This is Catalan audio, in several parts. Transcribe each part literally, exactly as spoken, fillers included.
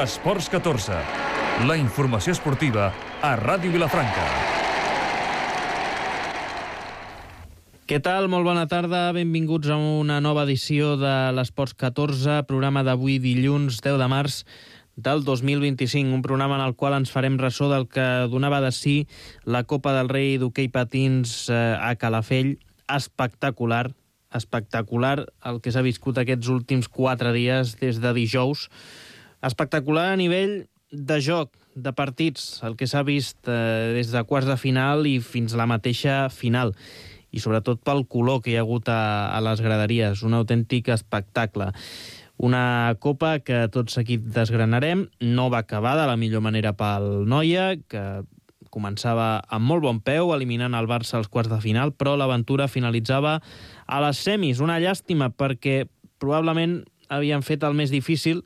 Esports catorze, la informació esportiva a Ràdio Vilafranca. Què tal? Molt bona tarda, benvinguts a una nova edició de l'Esports catorze, programa d'avui dilluns deu de març del dos mil vint-i-cinc, un programa en el qual ens farem ressò del que donava de si la Copa del Rei d'hoquei patins a Calafell. Espectacular, espectacular el que s'ha viscut aquests últims quatre dies des de dijous. Espectacular a nivell de joc, de partits, el que s'ha vist eh, des de quarts de final i fins a la mateixa final. I sobretot pel color que hi ha hagut a, a les graderies, un autèntic espectacle. Una copa que tot seguit desgranarem, no va acabar de la millor manera pel Noia, que començava amb molt bon peu, eliminant el Barça als quarts de final, però l'aventura finalitzava a les semis. Una llàstima, perquè probablement havien fet el més difícil,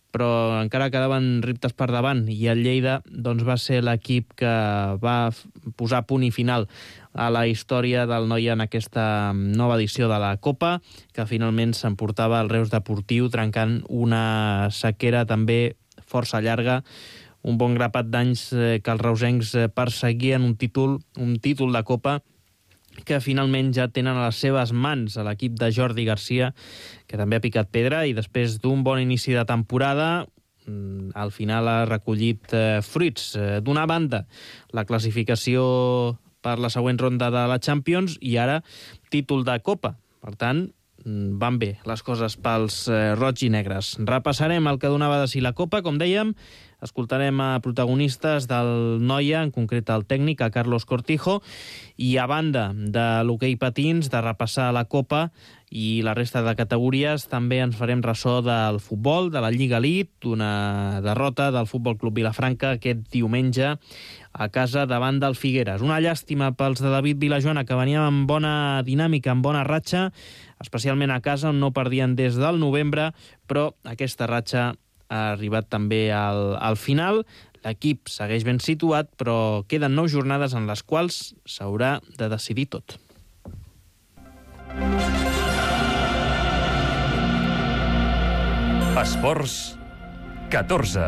però encara quedaven reptes per davant, i el Lleida doncs, va ser l'equip que va posar punt i final a la història del Noia en aquesta nova edició de la Copa, que finalment s'emportava el Reus Deportiu, trencant una sequera també força llarga, un bon grapat d'anys que els reusencs perseguien un títol, un títol de Copa que finalment ja tenen a les seves mans a l'equip de Jordi Garcia, que també ha picat pedra, i després d'un bon inici de temporada, al final ha recollit eh, fruits. D'una banda, la classificació per la següent ronda de la Champions, i ara títol de Copa. Per tant, van bé les coses pels eh, roig i negres. Repassarem el que donava de si la Copa, com dèiem. Escoltarem a protagonistes del Noia, en concret el tècnic, a Carlos Cortijo, i a banda de l'hoquei patins, de repassar la Copa i la resta de categories, també ens farem ressò del futbol, de la Lliga Elite, una derrota del Futbol Club Vilafranca aquest diumenge a casa davant del Figueres. Una llàstima pels de David Vilajoana, que veníem amb bona dinàmica, amb bona ratxa, especialment a casa, on no perdien des del novembre, però aquesta ratxa ha arribat també al, al final. L'equip segueix ben situat, però queden nou jornades en les quals s'haurà de decidir tot. Esports catorze.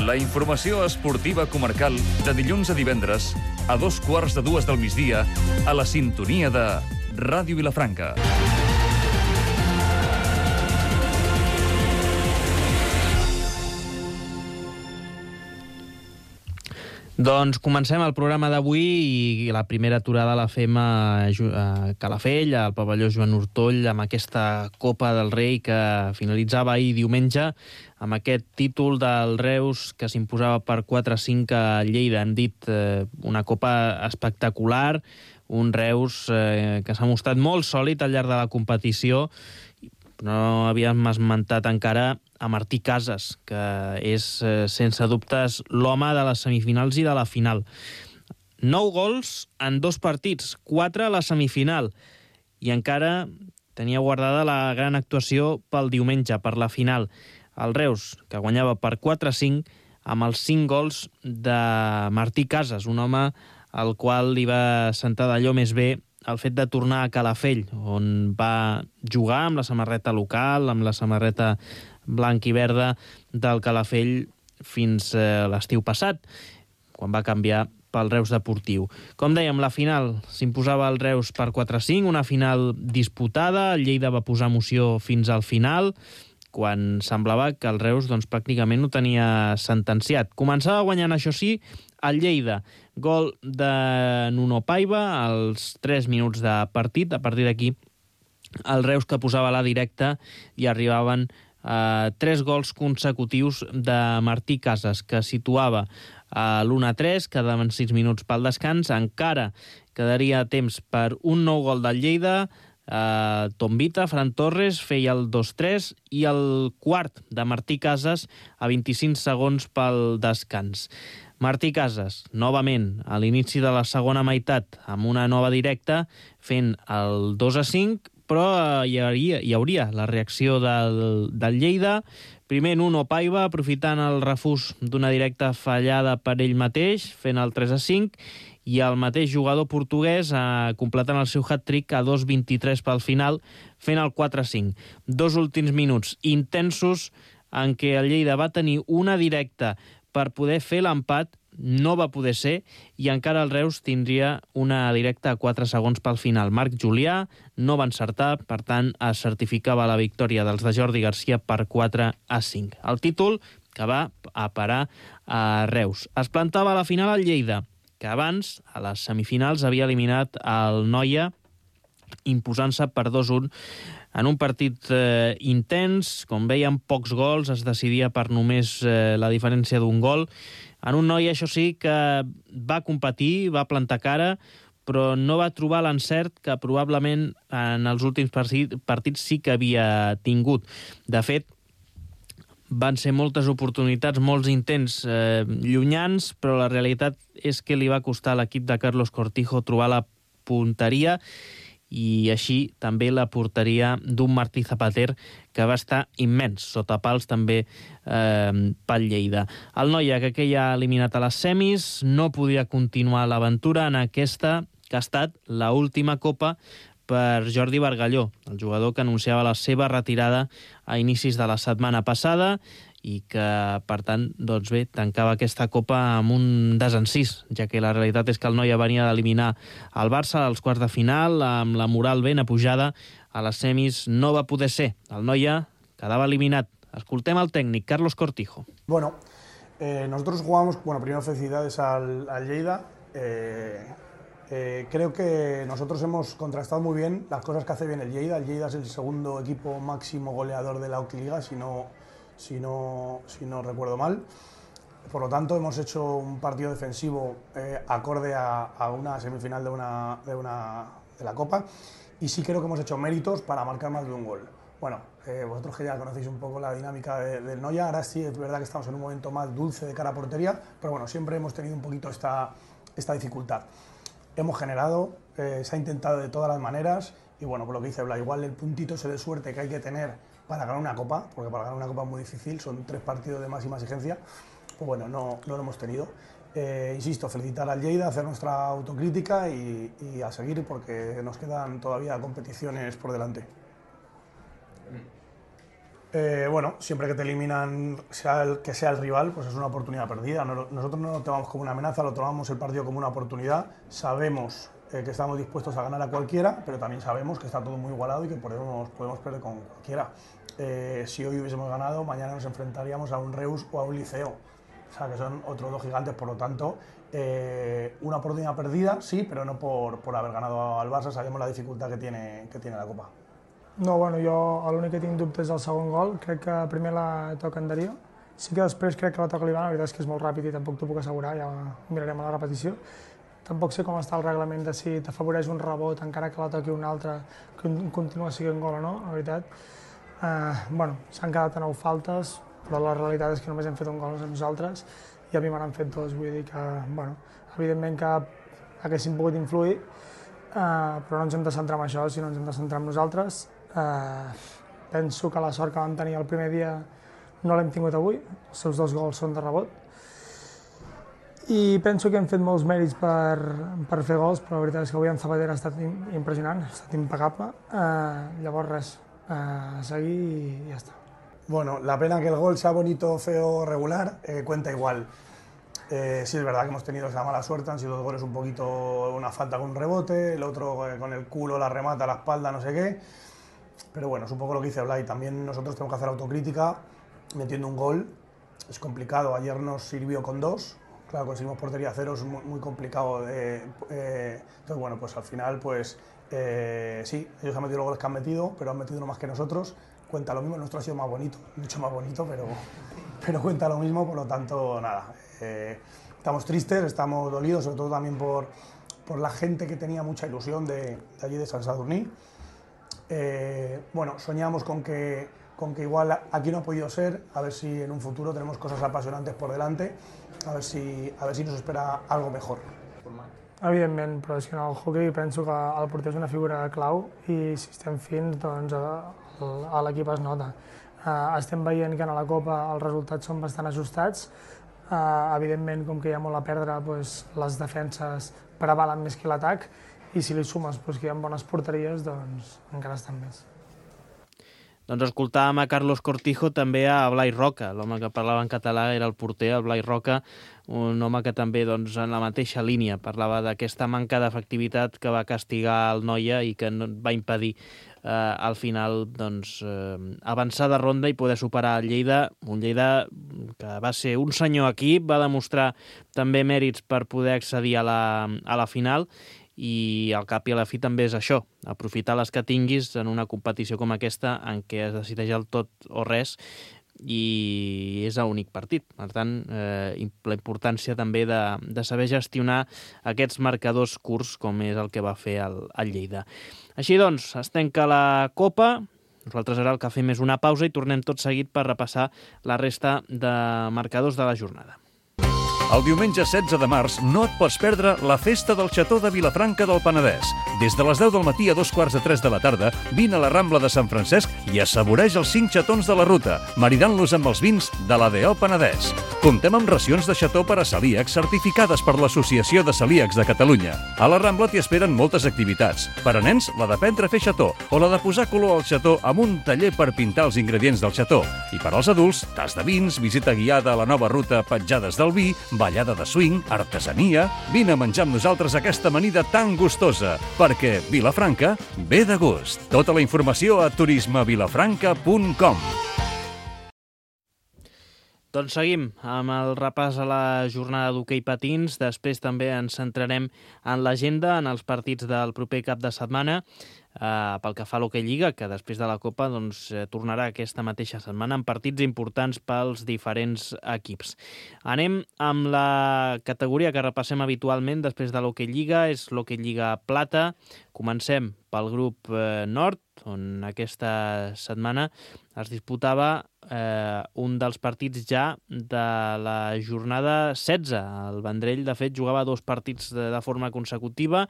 La informació esportiva comarcal de dilluns a divendres a dos quarts de dues del migdia a la sintonia de Ràdio Vilafranca. Doncs comencem el programa d'avui, i la primera aturada la fem a Calafell, al pavelló Joan Ortoll, amb aquesta Copa del Rei que finalitzava ahir diumenge, amb aquest títol del Reus que s'imposava per quatre a cinc a Lleida. Hem dit eh, una Copa espectacular, un Reus eh, que s'ha mostrat molt sòlid al llarg de la competició. No havíem esmentat encara a Martí Casas, que és, eh, sense dubtes, l'home de les semifinals i de la final. Nou gols en dos partits, quatre a la semifinal, i encara tenia guardada la gran actuació pel diumenge, per la final. El Reus, que guanyava per quatre a cinc, amb els cinc gols de Martí Casas, un home al qual li va sentar d'allò més bé el fet de tornar a Calafell, on va jugar amb la samarreta local, amb la samarreta blanc i verda del Calafell fins eh, l'estiu passat, quan va canviar pel Reus Deportiu. Com dèiem, la final s'imposava el Reus per quatre a cinc, una final disputada. El Lleida va posar emoció fins al final, quan semblava que el Reus doncs, pràcticament ho tenia sentenciat. Començava guanyant, això sí, el Lleida. Gol de Nuno Paiva als tres minuts de partit. A partir d'aquí, el Reus que posava la directa, i arribaven eh, tres gols consecutius de Martí Casas, que situava a l'u a tres, quedaven sis minuts pel descans. Encara quedaria temps per un nou gol del Lleida. Uh, Tombita, Fran Torres feia el dos tres, i el quart de Martí Casas a vint-i-cinc segons pel descans. Martí Casas, novament, a l'inici de la segona meitat, amb una nova directa, fent el dos a cinc, però uh, hi, hauria, hi hauria la reacció del, del Lleida. Primer Nuno Paiva, aprofitant el refús d'una directa fallada per ell mateix, fent el tres a cinc, i el mateix jugador portuguès eh, completant el seu hat-trick a dos vint-i-tres pel final, fent el quatre a cinc. Dos últims minuts intensos en què el Lleida va tenir una directa per poder fer l'empat, no va poder ser, i encara el Reus tindria una directa a quatre segons pel final. Marc Julià no va encertar, per tant, es certificava la victòria dels de Jordi Garcia per quatre a cinc. El títol que va a parar a Reus. Es plantava a la final al Lleida, que abans, a les semifinals, havia eliminat el Noia, imposant-se per dos a un en un partit eh, intens, com veiem, pocs gols, es decidia per només eh, la diferència d'un gol. En un Noia, això sí, que va competir, va plantar cara, però no va trobar l'encert que probablement en els últims partits sí que havia tingut. De fet, van ser moltes oportunitats, molts intents eh, llunyans, però la realitat és que li va costar a l'equip de Carlos Cortijo trobar la punteria, i així també la porteria d'un Martí Zapater, que va estar immens, sota pals també eh, pel Lleida. El Noia, que aquell ha eliminat a les semis, no podia continuar l'aventura en aquesta, que ha estat l'última copa per Jordi Bargalló, el jugador que anunciava la seva retirada a inicis de la setmana passada i que, per tant, doncs bé, tancava aquesta copa amb un desencís, ja que la realitat és que el Noia venia d'eliminar el Barça als quarts de final, amb la moral ben apujada, a les semis no va poder ser. El Noia quedava eliminat. Escoltem el técnico, Carlos Cortijo. Bueno, eh, nosotros jugamos, bueno, primero felicidades al, al Lleida. Eh, eh, creo que nosotros hemos contrastado muy bien las cosas que hace bien el Lleida. El Lleida es el segundo equipo máximo goleador de la Octiliga, si no, si no, si no recuerdo mal. Por lo tanto, hemos hecho un partido defensivo eh, acorde a, a una semifinal de, una, de, una, de la Copa, y sí creo que hemos hecho méritos para marcar más de un gol. Bueno, eh, vosotros que ya conocéis un poco la dinámica de, del Noia, ahora sí es verdad que estamos en un momento más dulce de cara a portería, pero bueno, siempre hemos tenido un poquito esta, esta dificultad. Hemos generado, eh, se ha intentado de todas las maneras, y bueno, por lo que dice Bla, igual el puntito ese de suerte que hay que tener para ganar una Copa, porque para ganar una Copa es muy difícil, son tres partidos de máxima exigencia, pues bueno, no, no lo hemos tenido. Eh, insisto, felicitar al Lleida, hacer nuestra autocrítica y, y a seguir, porque nos quedan todavía competiciones por delante. Eh, bueno, siempre que te eliminan, sea el que sea el rival, pues es una oportunidad perdida. Nosotros no lo tomamos como una amenaza, lo tomamos el partido como una oportunidad. Sabemos eh, que estamos dispuestos a ganar a cualquiera, pero también sabemos que está todo muy igualado y que podemos, podemos perder con cualquiera. Eh, si hoy hubiésemos ganado, mañana nos enfrentaríamos a un Reus o a un Liceo. O sea, que son otros dos gigantes, por lo tanto, eh, una oportunidad perdida, sí, pero no por, por haber ganado al Barça. Sabemos la dificultad que tiene, que tiene la Copa. No, bueno, jo l'únic que tinc dubte és el segon gol. Crec que primer la toca en Darío. Sí que després crec que la toca l'Ivan, la veritat és que és molt ràpid i tampoc t'ho puc assegurar, ja mirarem a la repetició. Tampoc sé com està el reglament de si t'afavoreix un rebot encara que la toqui un altre, que continua sent gol o no, la veritat. Eh, bueno, s'han quedat a nou faltes, però la realitat és que només hem fet un gol a nosaltres i a mi me n'han fet dos, vull dir que, bueno, evidentment que haguessin pogut influir, eh, però no ens hem de centrar en això, sinó ens hem de centrar en nosaltres. Uh, penso que la sort que vam tenir el primer dia no l'hem tingut avui, els seus dos gols són de rebot, i penso que hem fet molts mèrits per, per fer gols, però la veritat és que avui en Zapater ha estat impressionant, ha estat impecable, uh, llavors res, uh, seguir i ja està. Bueno, la pena que el gol sea bonito, feo, regular, eh, cuenta igual. Eh, sí, es verdad que hemos tenido esa mala suerte, han sido dos goles un poquito, una falta con un rebote, el otro eh, con el culo la remata a la espalda, no sé qué. Pero bueno, es un poco lo que dice Blay, también nosotros tenemos que hacer autocrítica, metiendo un gol, es complicado, ayer nos sirvió con dos, claro, conseguimos portería cero, es muy, muy complicado, de, eh, entonces bueno, pues al final, pues eh, sí, ellos han metido los goles que han metido, pero han metido uno más que nosotros, cuenta lo mismo, el nuestro ha sido más bonito, mucho más bonito, pero, pero cuenta lo mismo, por lo tanto, nada, eh, estamos tristes, estamos dolidos, sobre todo también por, por la gente que tenía mucha ilusión de, de allí de Sant Sadurní. Eh, bueno, soñamos con que, con que igual aquí no ha podido ser, a ver si en un futuro tenemos cosas apasionantes por delante, a ver si, a ver si nos espera algo mejor. Evidentment, però és que en el hockey penso que el porter és una figura clau i si estem fins, doncs a l'equip es nota. Estem veient que a la Copa els resultats són bastant ajustats, Uh, evidentment, com que hi ha molt a perdre, doncs, les defenses prevalen més que l'atac, i si li sumes doncs, que hi ha bones porteries, doncs encara estan més. Doncs escoltàvem a Carlos Cortijo, també a Blai Roca, l'home que parlava en català era el porter, el Blai Roca, un home que també doncs, en la mateixa línia parlava d'aquesta manca d'efectivitat que va castigar el Noia i que no, va impedir eh, al final doncs, eh, avançar de ronda i poder superar el Lleida, un Lleida que va ser un senyor equip, va demostrar també mèrits per poder accedir a la, a la final, i al cap i a la fi també és això, aprofitar les que tinguis en una competició com aquesta en què es decideix el tot o res i és l'únic partit. Per tant, eh, la importància també de, de saber gestionar aquests marcadors curts com és el que va fer el, el Lleida. Així doncs, es tanca la Copa. Nosaltres ara el que fem és una pausa i tornem tot seguit per repassar la resta de marcadors de la jornada. El diumenge setze de març no et pots perdre la festa del Xató de Vilafranca del Penedès. Des de les deu del matí a dos quarts de tres de la tarda, vine a la Rambla de Sant Francesc i assaboreix els cinc xatons de la ruta, maridant-los amb els vins de l'A D O Penedès. Comptem amb racions de xató per a celíacs certificades per l'Associació de Celíacs de Catalunya. A la Rambla t'hi esperen moltes activitats. Per a nens, la d'aprendre a fer xató o la de posar color al xató amb un taller per pintar els ingredients del xató. I per als adults, tas de vins, visita guiada a la nova ruta Petjades del Vi, ballada de swing, artesania... Vine a menjar amb nosaltres aquesta amanida tan gustosa, perquè Vilafranca ve de gust. Tota la informació a turisme vilafranca punt com. Doncs seguim amb el repàs a la jornada d'hoquei patins. Després també ens centrarem en l'agenda, en els partits del proper cap de setmana. Uh, pel que fa a l'Hoquei Lliga, que després de la Copa doncs, eh, tornarà aquesta mateixa setmana amb partits importants pels diferents equips. Anem amb la categoria que repassem habitualment després de l'Hoquei Lliga, és l'Hoquei Lliga Plata. Comencem pel grup eh, nord, on aquesta setmana es disputava eh, un dels partits ja de la jornada setze. El Vendrell, de fet, jugava dos partits de, de forma consecutiva.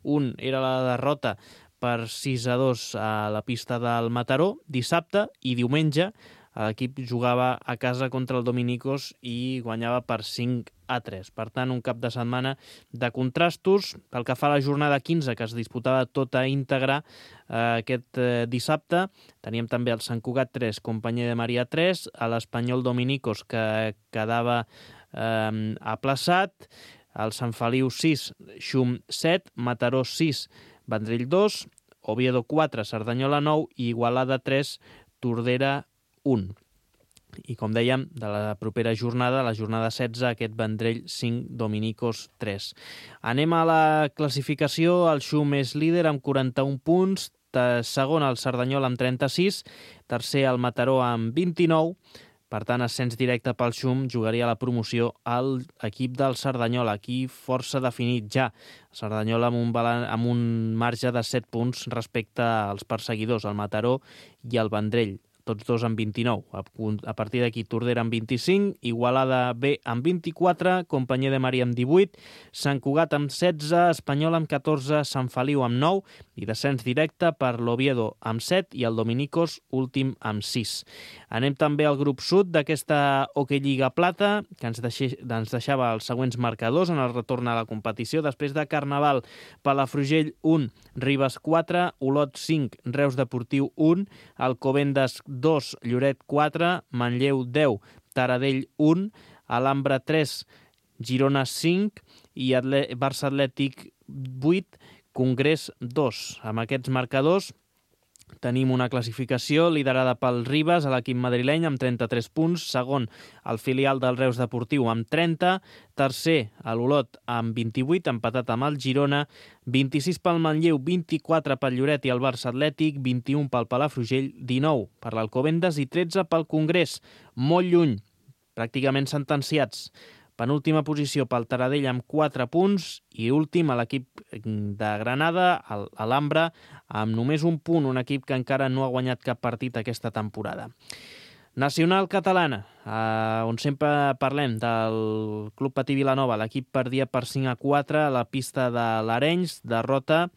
Un era la derrota per sis a dos a la pista del Mataró dissabte, i diumenge l'equip jugava a casa contra el Dominicos i guanyava per cinc a tres. Per tant, un cap de setmana de contrastos. Pel que fa a la jornada quinze, que es disputava tota íntegra eh, aquest eh, dissabte, teníem també el Sant Cugat tres, Companyia de Maria tres, a l'Espanyol Dominicos, que quedava eh, aplaçat, el Sant Feliu sis, Xum set, Mataró sis, Vendrell dos, Oviedo quatre, Cerdanyola nou i Igualada tres, Tordera un. I com dèiem, de la propera jornada, la jornada setze, aquest Vendrell cinc, Dominicos tres. Anem a la classificació. El Xum és líder amb quaranta-un punts, segon el Cerdanyola amb trenta-sis, tercer el Mataró amb vint-i-nou. Per tant, ascens directe pel Xum, jugaria la promoció al equip del Cerdanyola, aquí força definit ja. Cerdanyola amb un, balan- amb un marge de set punts respecte als perseguidors, el Mataró i el Vendrell, tots dos amb vint-i-nou. A partir d'aquí, Tordera amb vint-i-cinc, Igualada B amb vint-i-quatre, Companyia de Maria amb divuit, Sant Cugat amb setze, Espanyol amb catorze, Sant Feliu amb nou i descens directe per l'Oviedo amb set i el Dominicos últim amb sis. Anem també al grup sud d'aquesta Hoquei Lliga Plata, que ens, deixi, ens deixava els següents marcadors en el retorn a la competició. Després de Carnaval, Palafrugell un, Ribes quatre, Olot cinc, Reus Deportiu un, Alcobendas dos, Lloret quatre, Manlleu deu, Taradell un, Alhambra tres, Girona cinc i Atle- Barça Atlètic vuit, Congrés dos. Amb aquests marcadors tenim una classificació liderada pel Ribes, a l'equip madrileny, amb trenta-tres punts, segon el filial del Reus Deportiu amb trenta, tercer l'Olot amb vint-i-vuit, empatat amb el Girona, vint-i-sis pel Manlleu, vint-i-quatre pel Lloret i el Barça Atlètic, vint-i-un pel Palafrugell, dinou per l'Alcobendas i tretze pel Congrés, molt lluny, pràcticament sentenciats. Penúltima posició pel Taradell amb quatre punts i últim a l'equip de Granada, l'Alhambra, amb només un punt, un equip que encara no ha guanyat cap partit aquesta temporada. Nacional catalana, eh, on sempre parlem del Club Patí Vilanova. L'equip perdia per cinc a quatre a la pista de l'Arenys, derrota,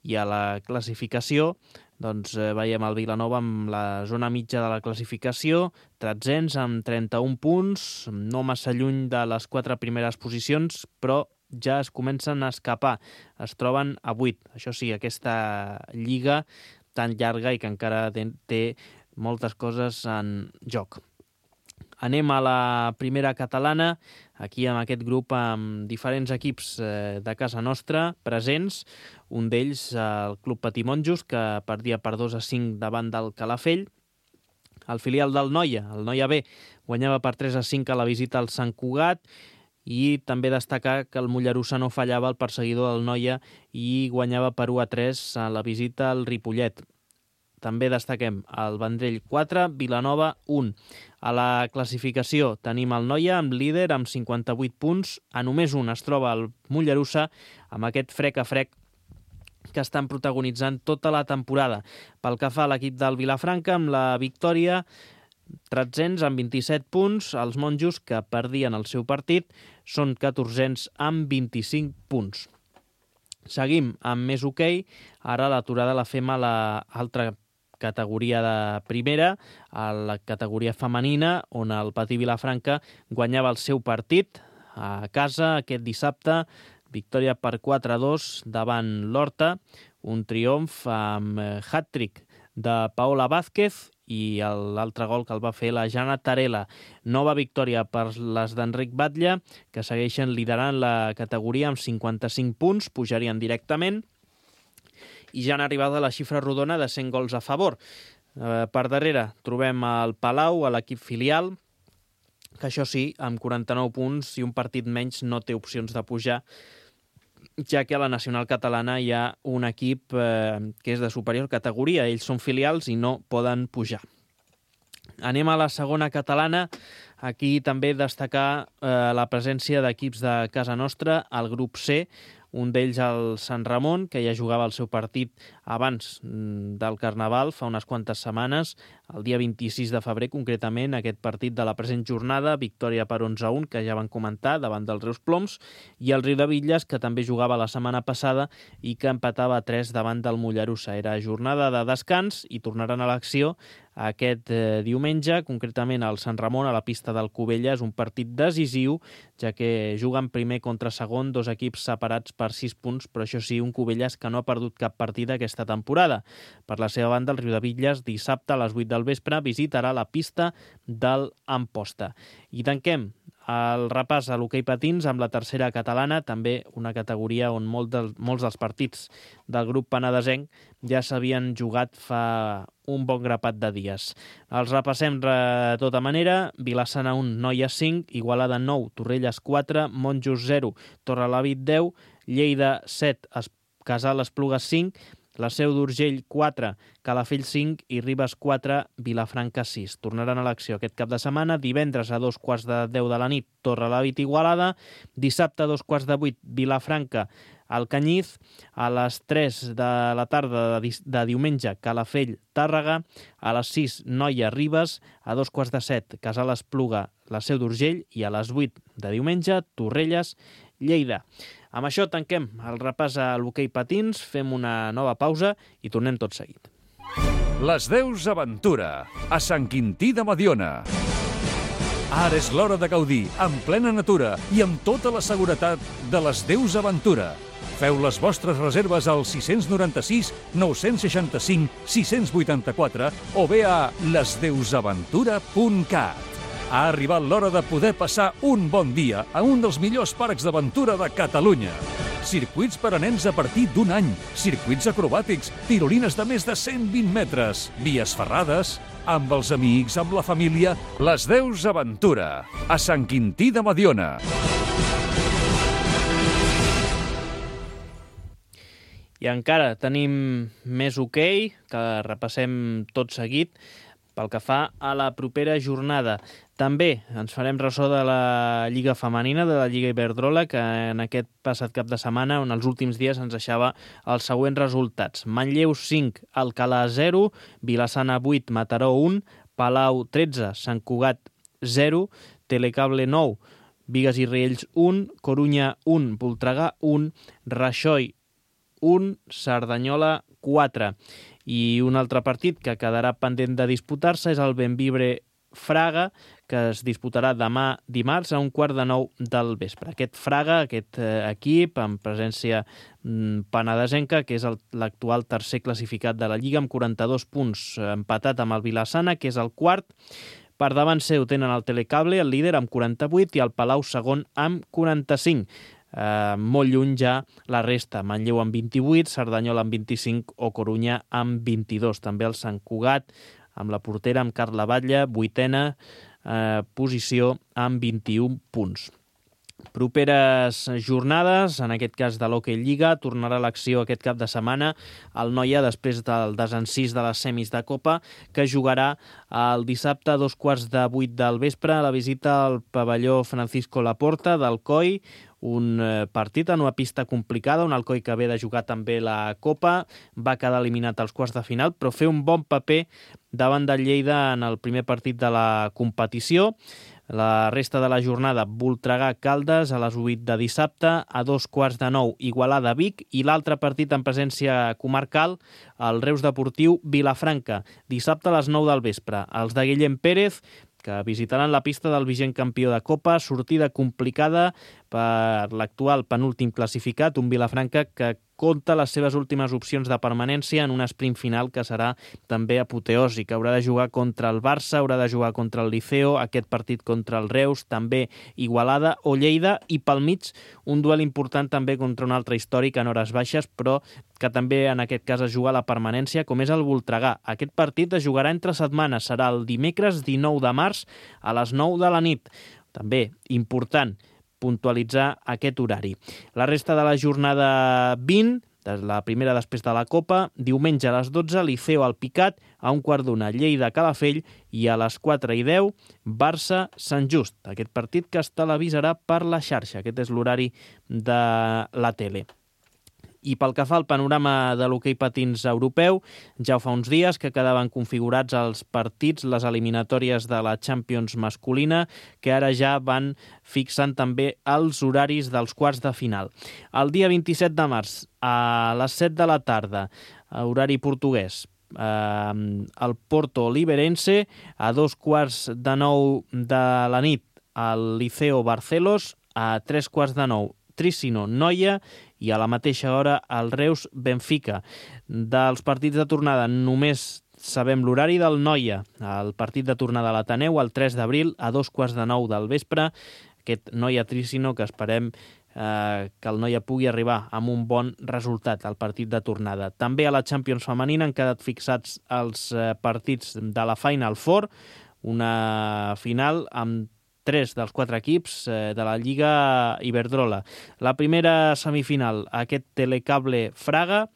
I a la classificació doncs, eh, veiem el Vilanova amb la zona mitja de la classificació, tretzens amb trenta-un punts, no massa lluny de les quatre primeres posicions, però ja es comencen a escapar, es troben a vuit. Això sí, aquesta lliga tan llarga i que encara té moltes coses en joc. Anem a la primera catalana, aquí amb aquest grup amb diferents equips de casa nostra presents, un d'ells el Club Patimonjos, que perdia per dos a cinc davant del Calafell. El filial del Noia, el Noia B, guanyava per tres a cinc a la visita al Sant Cugat, i també destacar que el Mollerussa no fallava el perseguidor del Noia i guanyava per u a tres a la visita al Ripollet. També destaquem el Vendrell quatre, Vilanova un. A la classificació tenim el Noia amb líder amb cinquanta-vuit punts. A només un es troba el Mollerussa amb aquest frec a frec que estan protagonitzant tota la temporada. Pel que fa a l'equip del Vilafranca, amb la victòria, tretzens amb vint-i-set punts. Els monjos, que perdien el seu partit, són catorzens amb vint-i-cinc punts. Seguim amb més hoquei. Ara l'aturada la fem a l'altra categoria de primera, a la categoria femenina, on el Patí Vilafranca guanyava el seu partit a casa aquest dissabte, victòria per quatre a dos davant l'Horta, un triomf amb hat-trick de Paola Vázquez i l'altre gol que el va fer la Jana Tarela. Nova victòria per les d'Enric Batlle, que segueixen liderant la categoria amb cinquanta-cinc punts, pujarien directament, i ja han arribat a la xifra rodona de cent gols a favor. Eh, per darrere trobem el Palau, a l'equip filial, que això sí, amb quaranta-nou punts i un partit menys no té opcions de pujar, ja que a la nacional catalana hi ha un equip eh, que és de superior categoria. Ells són filials i no poden pujar. Anem a la segona catalana. Aquí també destacar eh, la presència d'equips de casa nostra, al grup C, un d'ells el Sant Ramon, que ja jugava el seu partit abans del Carnaval, fa unes quantes setmanes, el dia vint-i-sis de febrer, concretament, aquest partit de la present jornada, victòria per onze a un, que ja van comentar, davant dels Reus Ploms, i el Riudebitlles, que també jugava la setmana passada i que empatava a tres davant del Mollerussa. Era jornada de descans i tornaran a l'acció aquest eh, diumenge, concretament al Sant Ramon, a la pista del Cubelles, un partit decisiu, ja que juguen primer contra segon, dos equips separats per sis punts, però això sí, un Cubelles que no ha perdut cap partida aquesta temporada. Per la seva banda, el Riudebitlles, dissabte a les vuit del vespre, visitarà la pista del Amposta. I tanquem el repàs a l'hoquei patins amb la tercera catalana, també una categoria on molt del, molts dels partits del grup penedesenc ja s'havien jugat fa un bon grapat de dies. Els repassem de tota manera. Vilassana un, Noia cinc, Igualada nou, Torrelles quatre, Monjos zero, Torrelavit deu, Lleida set, Casal Esplugues cinc, la Seu d'Urgell quatre, Calafell cinc i Ribes quatre, Vilafranca sis. Tornaran a l'acció aquest cap de setmana, divendres a dos quarts de deu de la nit, Torrelavit Igualada, dissabte a dos quarts de vuit, Vilafranca al Canyiz, a les tres de la tarda de, de diumenge, Calafell Tàrrega, a les sis, Noia Ribes, a dos quarts de set, Casal Espluga, la Seu d'Urgell, i a les vuit de diumenge, Torrelles, Lleida. Amb això tanquem el repàs a l'hoquei patins, fem una nova pausa i tornem tot seguit. Les Deus Aventura, a Sant Quintí de Mediona. Ara és l'hora de gaudir, en plena natura i amb tota la seguretat de les Deus Aventura. Feu les vostres reserves al sis nou sis, nou seixanta-cinc, sis vuitanta-quatre o bé a les deus aventura punt cat. Ha arribat l'hora de poder passar un bon dia a un dels millors parcs d'aventura de Catalunya. Circuits per a nens a partir d'un any, circuits acrobàtics, tirolines de més de cent vint metres, vies ferrades, amb els amics, amb la família, les Deus Aventura, a Sant Quintí de Mediona. I encara tenim més hoquei, que repassem tot seguit, pel que fa a la propera jornada. També ens farem ressò de la Lliga Femenina, de la Lliga Iberdrola, que en aquest passat cap de setmana, en els últims dies, ens deixava els següents resultats. Manlleu cinc, Alcalà zero, Vilassana vuit, Mataró un, Palau tretze, Sant Cugat zero, Telecable nou, Bigues i Riells un, Corunya un, Voltregà un, Raxoi un, Cerdanyola quatre. I un altre partit que quedarà pendent de disputar-se és el Bembibre Fraga, que es disputarà demà dimarts a un quart de nou del vespre. Aquest Fraga, aquest eh, equip, amb presència mm, penedesenca, que és el, l'actual tercer classificat de la Lliga, amb quaranta-dos punts, empatat amb el Vilassana, que és el quart. Per davant seu tenen el Telecable, el líder, amb quaranta-vuit, i el Palau segon amb quaranta-cinc. Eh, molt lluny ja la resta. Manlleu amb vint-i-vuit, Cerdanyola amb vint-i-cinc o Corunya amb vint-i-dos. També el Sant Cugat, amb la portera, amb Carla Batlle, vuitena eh, posició amb vint-i-un punts. Properes jornades, en aquest cas de l'Hockey Lliga, tornarà a l'acció aquest cap de setmana el Noia després del desencís de les semis de Copa, que jugarà el dissabte a dos quarts de vuit del vespre a la visita al pavelló Francisco Laporta del Coi, un partit en una pista complicada, un Alcoi que ve de jugar també la Copa, va quedar eliminat als quarts de final, però fer un bon paper davant del Lleida en el primer partit de la competició. La resta de la jornada, Voltregà-Caldes a les vuit de dissabte, a dos quarts de nou Igualada-Vic, i l'altre partit en presència comarcal, el Reus Deportiu Vilafranca, dissabte a les nou del vespre. Els de Guillem Pérez, que visitaran la pista del vigent campió de Copa, sortida complicada per l'actual penúltim classificat, un Vilafranca que compta les seves últimes opcions de permanència en un sprint final que serà també apoteòsic. Haurà de jugar contra el Barça, haurà de jugar contra el Liceo, aquest partit contra el Reus, també Igualada o Lleida, i pel mig un duel important també contra un altre històric en hores baixes, però que també en aquest cas es juga la permanència, com és el Voltregà. Aquest partit es jugarà entre setmanes, serà el dimecres dinou de març a les nou de la nit. També important puntualitzar aquest horari. La resta de la jornada vint, la primera després de la Copa, diumenge a les dotze, Liceo al Picat, a un quart d'una Lleida Calafell, i a les quatre i deu, Barça Sant Just. Aquest partit que es televisarà per la xarxa. Aquest és l'horari de la tele. I pel que fa al panorama de l'hoquei patins europeu, ja fa uns dies que quedaven configurats els partits, les eliminatòries de la Champions masculina, que ara ja van fixant també els horaris dels quarts de final. El dia vint-i-set de març, a les set de la tarda, horari portuguès, eh, el Porto Liberense, a dos quarts de nou de la nit, al Liceo Barcelos, a tres quarts de nou, Tricino Noia, i a la mateixa hora el Reus Benfica. Dels partits de tornada només sabem l'horari del Noia. El partit de tornada a l'Ateneu el tres d'abril a dos quarts de nou del vespre. Aquest Noia Tricino que esperem eh, que el Noia pugui arribar amb un bon resultat al partit de tornada. També a la Champions femenina han quedat fixats els eh, partits de la Final Four, una final amb tres dels quatre equips eh, de la Lliga Iberdrola. La primera semifinal, aquest Telecable Fraga,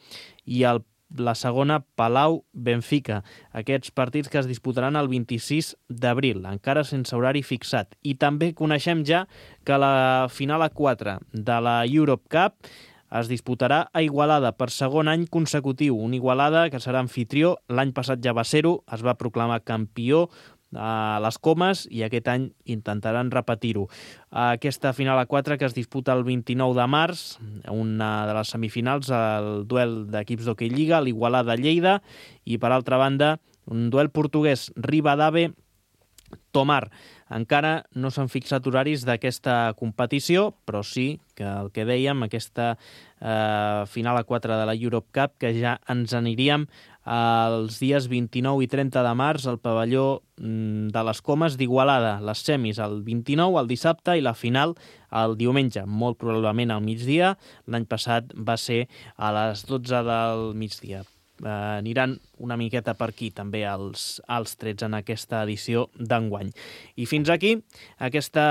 i el, la segona Palau Benfica. Aquests partits que es disputaran el vint-i-sis d'abril, encara sense horari fixat. I també coneixem ja que la final a quatre de la Europe Cup es disputarà a Igualada per segon any consecutiu. Un Igualada que serà anfitrió, l'any passat ja va ser-ho, es va proclamar campió a les Comes i aquest any intentaran repetir-ho. Aquesta final a quatre que es disputa el vint-i-nou de març, una de les semifinals, el duel d'equips d'Hockey Lliga, l'Igualada-Lleida, i per altra banda un duel portuguès, Ribadave-Tomar. Encara no s'han fixat horaris d'aquesta competició, però sí que el que dèiem, aquesta eh, final a quatre de la Europe Cup, que ja ens aniríem els dies vint-i-nou i trenta de març al pavelló de les Comes d'Igualada. Les semis el vint-i-nou, el dissabte, i la final el diumenge, molt probablement al migdia. L'any passat va ser a les dotze del migdia. Eh, aniran una miqueta per aquí també els, els trets en aquesta edició d'enguany. I fins aquí aquesta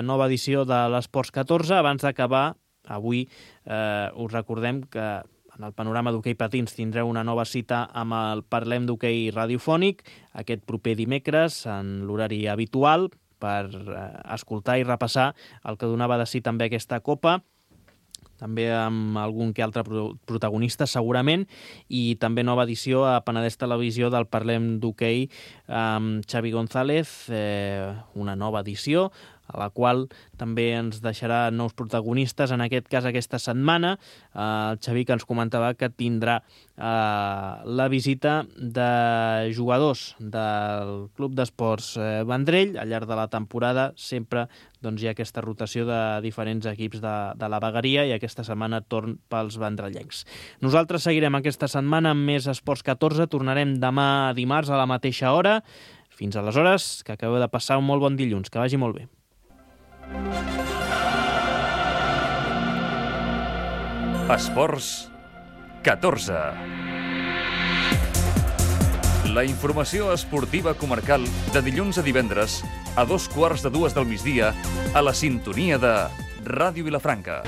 nova edició de l'Esports catorze. Abans d'acabar, avui eh, us recordem que en el panorama d'hoquei patins tindreu una nova cita amb el Parlem d'Hoquei radiofònic aquest proper dimecres en l'horari habitual per eh, escoltar i repassar el que donava de si també aquesta Copa, també amb algun que altre protagonista segurament, i també nova edició a Penedès Televisió del Parlem d'Hoquei amb Xavi González, eh, una nova edició a la qual també ens deixarà nous protagonistes, en aquest cas aquesta setmana. El Xavi que ens comentava que tindrà eh, la visita de jugadors del Club d'Esports Vendrell al llarg de la temporada. Sempre doncs, hi ha aquesta rotació de diferents equips de, de la vegueria i aquesta setmana torn pels vendrellencs. Nosaltres seguirem aquesta setmana amb més Esports catorze. Tornarem demà dimarts a la mateixa hora. Fins aleshores, que acabeu de passar un molt bon dilluns. Que vagi molt bé. Esports catorze. La informació esportiva comarcal de dilluns a divendres a dos quarts de dues del migdia a la sintonia de Ràdio Vilafranca.